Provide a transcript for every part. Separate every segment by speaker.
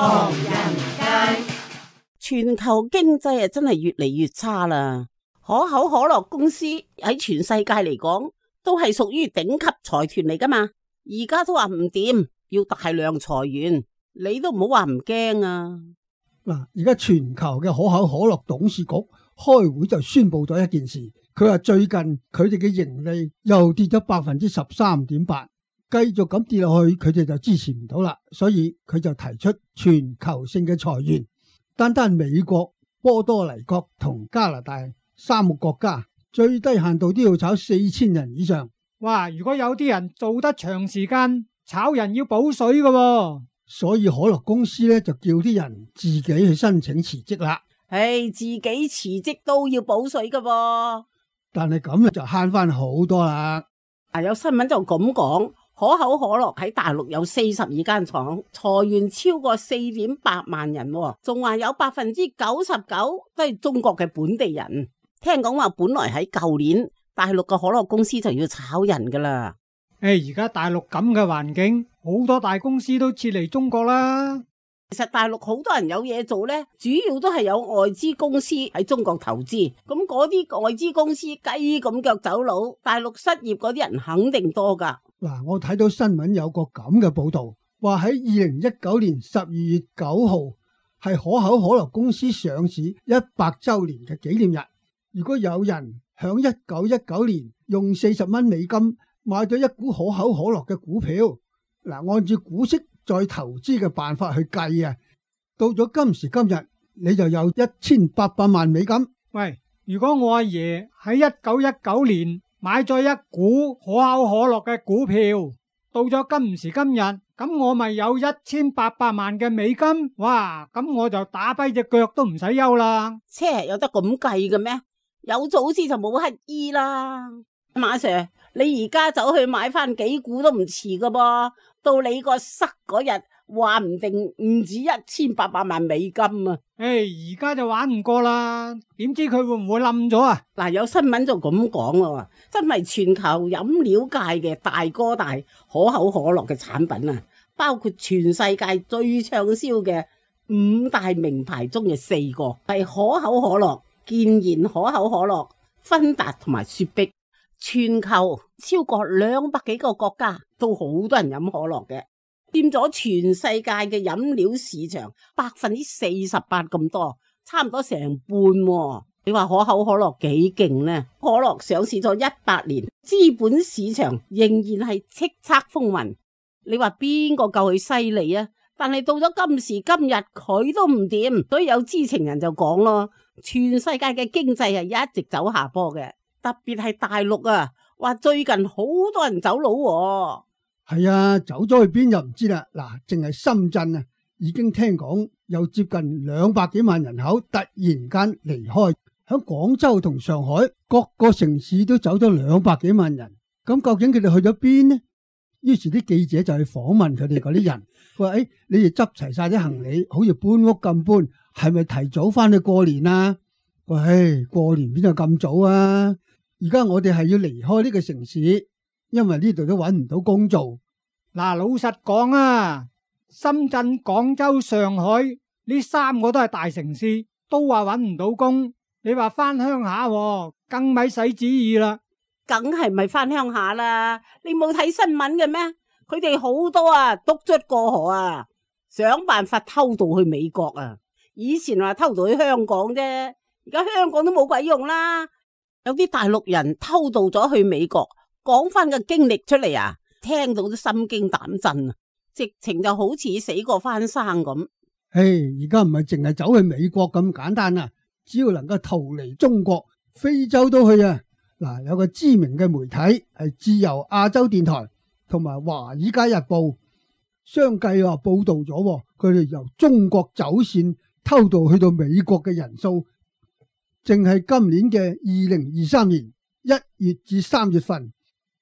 Speaker 1: 唐人街。
Speaker 2: 全球經濟真係越嚟越差啦，可口可樂公司喺全世界嚟講都係屬於頂級財團嚟噶嘛，而家都話唔掂，要大量裁員，你都唔好話唔驚啊！
Speaker 3: 嗱，而家全球嘅可口可樂董事局開會就宣布咗一件事，佢話最近佢哋嘅盈利又跌咗13.8%，繼續咁跌落去，佢哋就支持唔到啦，所以佢就提出全球性嘅裁員。單單美國、波多黎各同加拿大3個國家，最低限度都要炒4000人以上。
Speaker 4: 哇！如果有啲人做得長時間，炒人要補水㗎喎。
Speaker 3: 所以可樂公司咧就叫啲人自己去申請辭職啦。
Speaker 2: 自己辭職都要補水㗎喎。
Speaker 3: 但係咁就慳翻好多啦。
Speaker 2: 有新聞就咁講。可口可樂喺大陸有42間廠，裁員超過4.8萬人，仲話有99%都係中國嘅本地人。聽講話本來喺舊年大陸嘅可樂公司就要炒人噶啦。
Speaker 4: 而家大陸咁嘅環境，好多大公司都撤離中國啦。
Speaker 2: 其實大陸好多人有嘢做呢，主要都係有外資公司喺中國投資，咁嗰啲外資公司雞咁腳走佬，大陸失業嗰啲人肯定多噶。
Speaker 3: 嗱，我睇到新聞有個咁嘅報道，話喺2019年12月9號係可口可樂公司上市100周年嘅紀念日。如果有人響1919年用40蚊美金買咗一股可口可樂嘅股票，嗱，按照股息再投資嘅辦法去計啊，到咗今時今日你就有1800萬美金。
Speaker 4: 喂，如果我阿爺喺1919年買咗一股可口可樂嘅股票，到咗今時今日，咁我咪有1800萬嘅美金？哇，咁我就打跛隻腳都唔使憂啦。
Speaker 2: 有得咁計嘅咩？有早知就冇乞衣啦。馬 Sir， 你而家走去買翻幾股都唔遲噶噃，到你個塞嗰日，話唔定唔止1800萬美金啊！
Speaker 4: 而家就玩唔過啦，點知佢會唔會冧咗啊？
Speaker 2: 有新聞就咁講咯，真係全球飲料界嘅大哥大可口可樂嘅產品啊，包括全世界最暢銷嘅5大名牌中嘅4個係可口可樂、健然可口可樂、芬達同埋雪碧。全球超過200幾個國家都好多人飲可樂嘅，佔咗全世界嘅飲料市場48%咁多，差唔多成半喎。你話可口可樂幾勁呢？可樂上市咗100年，資本市場仍然係叱咤風雲。你話邊個夠佢犀利啊？但係到咗今時今日佢都唔掂，所以有知情人就講咯，全世界嘅經濟係一直走下坡嘅。特別係大陸啊，話最近好多人走佬喎。
Speaker 3: 係啊，走咗去邊就唔知啦。嗱，淨係深圳啊，已經聽講有接近200幾萬人口突然間離開，響廣州同上海各個城市都走咗200幾萬人。咁究竟佢哋去咗邊呢？於是啲記者就去訪問佢哋嗰啲人，佢話：你哋執齊晒啲行李，好似搬屋咁搬，係咪提早翻去過年啊？喂，過年邊有咁早啊？而家我哋係要離開呢個城市，因為呢度都搵唔到工做。
Speaker 4: 嗱，老實講啊，深圳、廣州、上海呢3個都係大城市，都話搵唔到工。你話翻鄉下喎，更咪使旨意啦。
Speaker 2: 梗係咪翻鄉下啦？你冇睇新聞嘅咩？佢哋好多啊，篤卒過河啊，想辦法偷渡去美國啊。以前話偷渡去香港啫，而家香港都冇鬼用啦。有啲大陸人偷渡咗去美國，講翻個經歷出嚟啊，聽到都心驚膽震啊，直情就好似死過翻生咁。
Speaker 3: 而家唔係淨係走去美國咁簡單啊，只要能夠逃離中國，非洲都去啊。嗱，有個知名嘅媒體係自由亞洲電台同埋華爾街日報相繼報道咗，佢哋由中國走線偷渡去到美國嘅人數，淨係今年嘅2023年1月至3月份，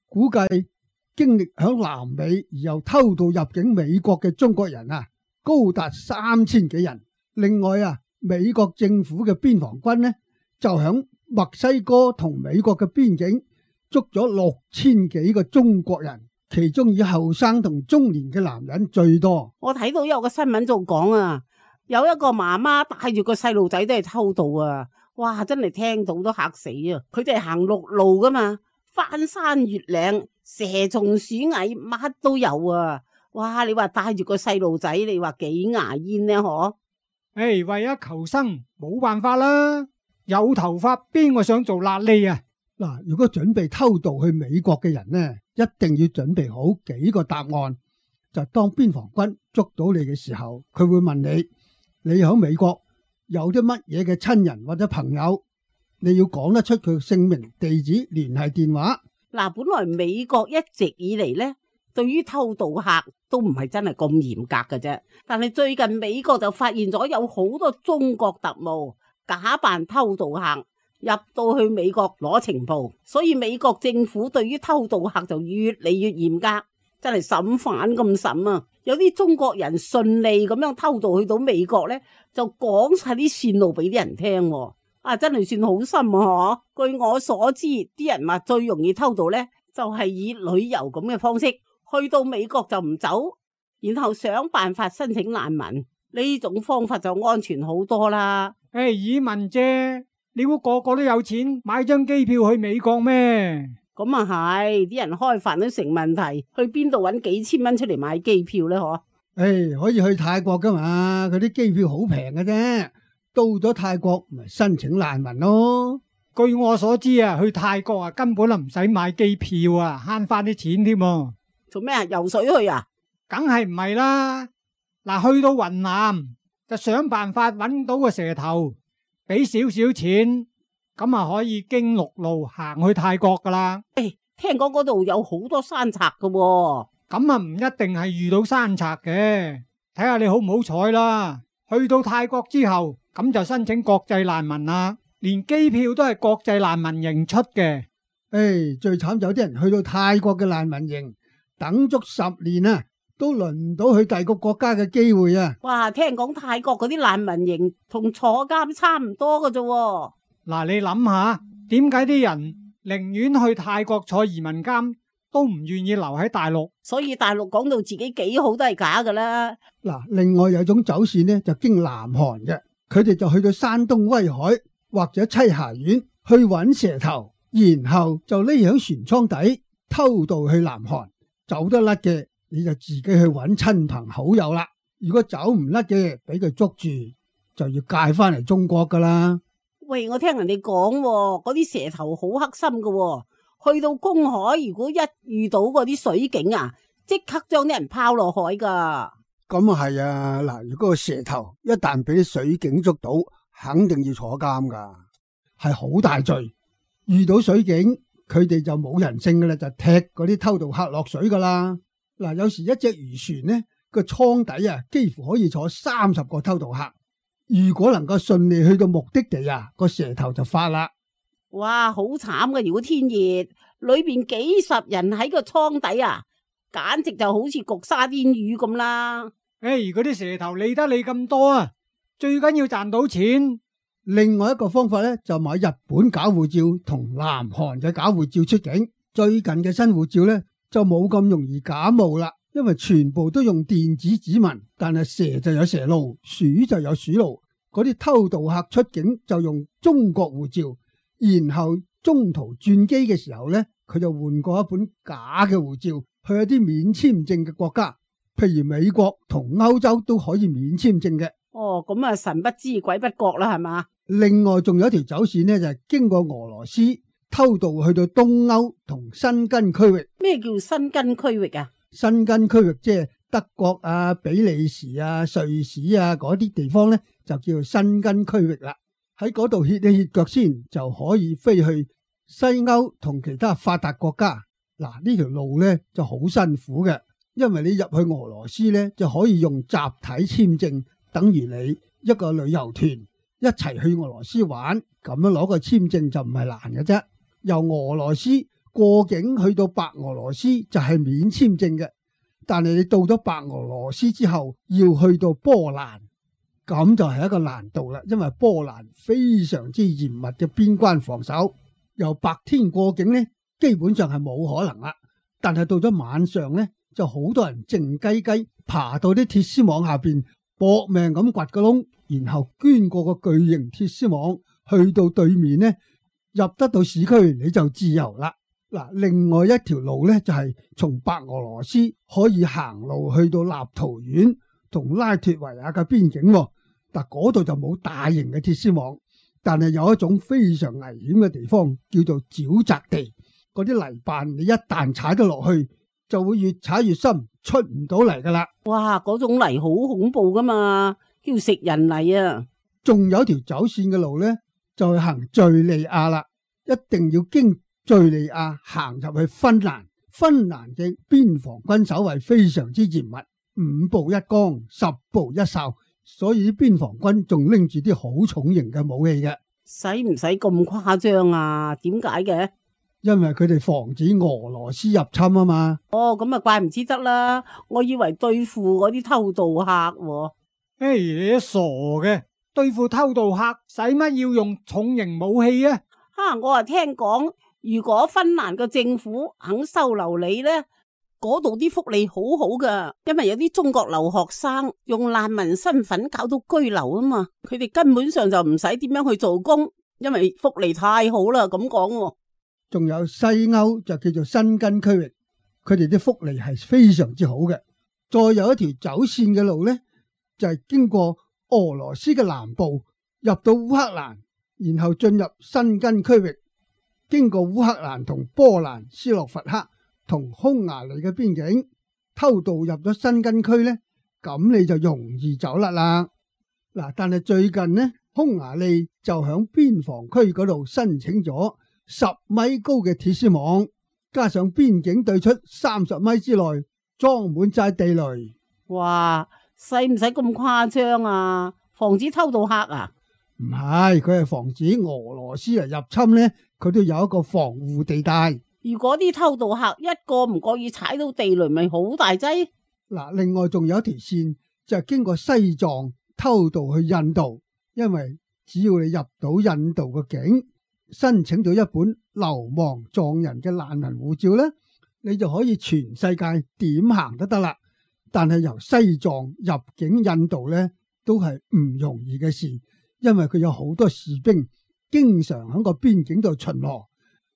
Speaker 3: 估計經歷響南美而又偷渡入境美國嘅中國人啊，高達3000幾人。另外啊，美國政府嘅邊防軍呢，就響墨西哥同美國嘅邊境捉咗6000幾個中國人，其中以後生同中年嘅男人最多。
Speaker 2: 我睇到有個新聞就講啊，有一個媽媽帶住個細路仔都係偷渡啊！哇，真係聽到都嚇死啊！佢哋係行陸路噶嘛，翻山越嶺，蛇蟲鼠蟻乜都有啊！哇，你話帶住個細路仔，你話幾牙煙呢？嗬？
Speaker 4: 為咗求生，冇辦法啦。有頭髮邊個想做癩痢啊？
Speaker 3: 嗱，如果準備偷渡去美國嘅人呢，一定要準備好幾個答案。就當邊防軍捉到你嘅時候，佢會問你：你喺美國有啲乜嘢嘅親人或者朋友？你要講得出佢姓名、地址、聯繫電話。
Speaker 2: 嗱，本來美國一直以嚟呢，對於偷渡客都唔係真係咁嚴格嘅啫。但係最近美國就發現咗有好多中國特務假扮偷渡客入到去美國攞情報，所以美國政府對於偷渡客就越嚟越嚴格，真係審犯咁審啊！有啲中國人順利咁樣偷渡去到美國呢，就講晒啲線路俾啲人聽，啊，真係算好心啊！據我所知，啲人話最容易偷渡呢，就係以旅遊咁嘅方式去到美國就唔走，然後想辦法申請難民，呢種方法就安全好多啦。
Speaker 4: 以民啫，你估個個都有錢買張機票去美國咩？
Speaker 2: 咁啊係，啲人開飯都成問題，去邊度搵幾千蚊出嚟買機票呢？嗬？
Speaker 3: 可以去泰國噶嘛？佢啲機票好平嘅啫，到咗泰國咪申請難民咯。
Speaker 4: 據我所知啊，去泰國啊根本就唔使買機票啊，慳翻啲錢添。
Speaker 2: 做咩啊？游水去啊？
Speaker 4: 梗係唔係啦。嗱，去到雲南就想辦法搵到個蛇頭，俾少少錢，咁啊可以經陸路行去泰國噶啦。
Speaker 2: 聽講嗰度有好多山賊噶喎。
Speaker 4: 咁啊唔一定係遇到山賊嘅，睇下你好唔好彩啦。去到泰國之後，咁就申請國際難民啦，連機票都係國際難民營出嘅。
Speaker 3: 最慘有啲人去到泰國嘅難民營，等足10年啊，都輪唔到去第二個國家嘅機會啊！
Speaker 2: 哇，聽講泰國嗰啲難民營同坐監差唔多㗎啫。
Speaker 4: 嗱，你諗下，點解啲人寧願去泰國坐移民監，都唔願意留喺大陸？
Speaker 2: 所以大陸講到自己幾好都係假噶啦。
Speaker 3: 嗱，另外有種走線呢，就經南韓嘅，佢哋就去到山東威海或者棲霞縣去揾蛇頭，然後就匿喺船艙底偷渡去南韓。走得甩嘅，你就自己去揾親朋好友啦。如果走唔甩嘅，俾佢捉住，就要介翻嚟中國噶啦。
Speaker 2: 喂，我聽人哋講，嗰啲蛇頭好黑心噶，去到公海，如果一遇到嗰啲水警啊，即刻將啲人拋落海噶。
Speaker 3: 咁啊係啊，嗱，如果個蛇頭一旦俾啲水警捉到，肯定要坐監噶，係好大罪。遇到水警，佢哋就冇人性噶啦，就踢嗰啲偷渡客落水噶啦。嗱，有時一隻漁船呢個艙底啊，幾乎可以坐30個偷渡客。如果能夠順利去到目的地啊，個蛇頭就發啦。
Speaker 2: 哇，好慘噶！如果天熱，裏邊幾十人喺個艙底啊，簡直就好似焗沙甸魚咁啦。
Speaker 4: 嗰啲蛇頭理得你咁多啊，最緊要賺到錢。
Speaker 3: 另外一個方法咧，就買日本假護照同南韓嘅假護照出境。最近嘅新護照咧，就冇咁容易假冒啦。因為全部都用電子指紋，但係蛇就有蛇路，鼠就有鼠路。嗰啲偷渡客出境就用中國護照，然後中途轉機嘅時候呢，佢就換過一本假嘅護照，去一啲免簽證嘅國家，譬如美國同歐洲都可以免簽證嘅。
Speaker 2: 哦，咁啊神不知鬼不覺啦，係嘛？
Speaker 3: 另外仲有一條走線呢，就係經過俄羅斯偷渡去到東歐同申根區域。
Speaker 2: 咩叫申根區域啊？
Speaker 3: 申根區域即係德國啊、比利時啊、瑞士啊嗰啲地方呢，就叫做申根區域啦。喺嗰度歇一歇腳先，就可以飛去西歐同其他發達國家。嗱，呢條路呢就好辛苦嘅，因為你入去俄羅斯呢，就可以用集體簽證，等於你一個旅遊團一齊去俄羅斯玩，咁樣攞個簽證就唔係難嘅啫。由俄羅斯過境去到白俄羅斯就係免簽證嘅，但係你到咗白俄羅斯之後要去到波蘭，咁就係一個難度啦。因為波蘭非常之嚴密嘅邊關防守，由白天過境呢，基本上係冇可能啦。但係到咗晚上呢，就好多人靜雞雞爬到啲鐵絲網下邊，搏命咁掘個窿，然後捐過個巨型鐵絲網去到對面呢，入得到市區你就自由啦。嗱，另外一條路呢，就係從白俄羅斯可以行路去到立陶宛同拉脫維亞嘅邊境，但嗰度就冇大型嘅鐵絲網，但係有一種非常危險嘅地方叫做沼澤地，嗰啲泥瓣你一旦踩得落去，就會越踩越深，出唔到嚟噶啦。
Speaker 2: 哇，嗰種泥好恐怖噶嘛，叫食人泥啊！
Speaker 3: 仲有條走線嘅路呢，就係行敘利亞啦，一定要經敘利亞行入去芬蘭。芬蘭嘅邊防軍守衛非常之嚴密，5步一崗，10步一哨，所以邊防軍仲拎住啲好重型嘅武器嘅。
Speaker 2: 使唔使咁誇張啊？點解嘅？
Speaker 3: 因為佢哋防止俄羅斯入侵啊嘛。
Speaker 2: 哦，咁啊怪唔之得啦，我以為對付嗰啲偷渡客喎。
Speaker 4: 你都傻嘅，對付偷渡客使乜要用重型武器啊？
Speaker 2: 我啊聽講，如果芬蘭嘅政府肯收留你呢，嗰度啲福利好好噶，因為有啲中國留學生用難民身份搞到居留啊嘛，佢哋根本上就唔使點樣去做工，因為福利太好啦，咁講。
Speaker 3: 仲有西歐就叫做申根區域，佢哋啲福利係非常之好嘅。再有一條走線嘅路呢，就係經過俄羅斯嘅南部入到烏克蘭，然後進入申根區域，經過烏克蘭同波蘭、斯洛伐克同匈牙利嘅邊境，偷渡入咗申根區呢，咁你就容易走甩啦。嗱，但係最近呢，匈牙利就響邊防區嗰度申請咗10米高嘅鐵絲網，加上邊境對出30米之內裝滿晒地雷。
Speaker 2: 哇，使唔使咁誇張啊？防止偷渡客啊？
Speaker 3: 唔係，佢係防止俄羅斯嚟入侵呢，佢都有一個防護地帶。
Speaker 2: 如果啲偷渡客一個唔覺意踩到地雷，咪好大劑。
Speaker 3: 嗱，另外仲有一條線就係經過西藏偷渡去印度，因為只要你入到印度嘅境，申請到一本流亡藏人嘅難民護照呢，你就可以全世界點行都得啦。但係由西藏入境印度呢，都係唔容易嘅事，因為佢有好多士兵經常喺個邊境度巡邏。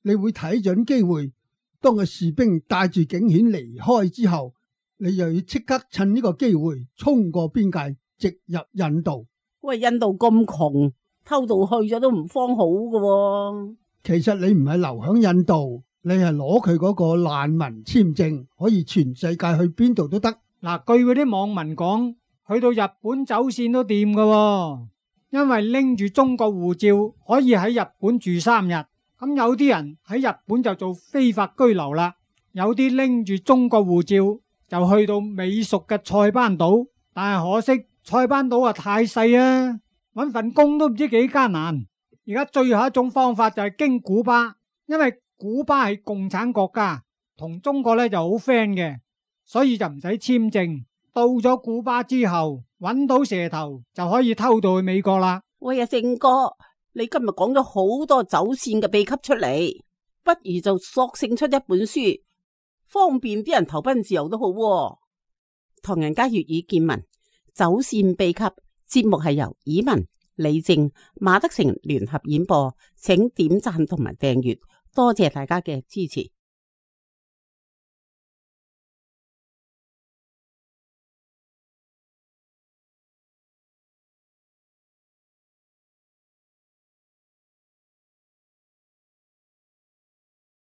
Speaker 3: 你會睇準機會，當個士兵帶住警犬離開之後，你又要即刻趁呢個機會衝過邊界，直入印度。
Speaker 2: 喂，印度咁窮，偷渡去咗都唔方好㗎喎。
Speaker 3: 其實你唔係留響印度，你係攞佢嗰個難民簽證，可以全世界去邊度都得。
Speaker 4: 嗱，據嗰啲網民講，去到日本走線都掂㗎喎，因為拎住中國護照可以喺日本住3日。咁有啲人喺日本就做非法居留啦，有啲拎住中國護照就去到美屬嘅塞班島，但係可惜塞班島啊太細啊，搵份工都唔知幾艱難。而家最後一種方法就係經古巴，因為古巴係共產國家，同中國呢就好 friend 嘅，所以就唔使簽證。到咗古巴之後，搵到蛇頭就可以偷渡去美國啦。
Speaker 2: 喂啊，正哥，你今日講咗好多走線嘅秘笈出嚟，不如就索性出一本書，方便啲人投奔自由都好喎。唐人街粵語見聞走線秘笈節目係由以文、李正、馬德成聯合演播，請點讚同埋訂閱，多謝大家嘅支持。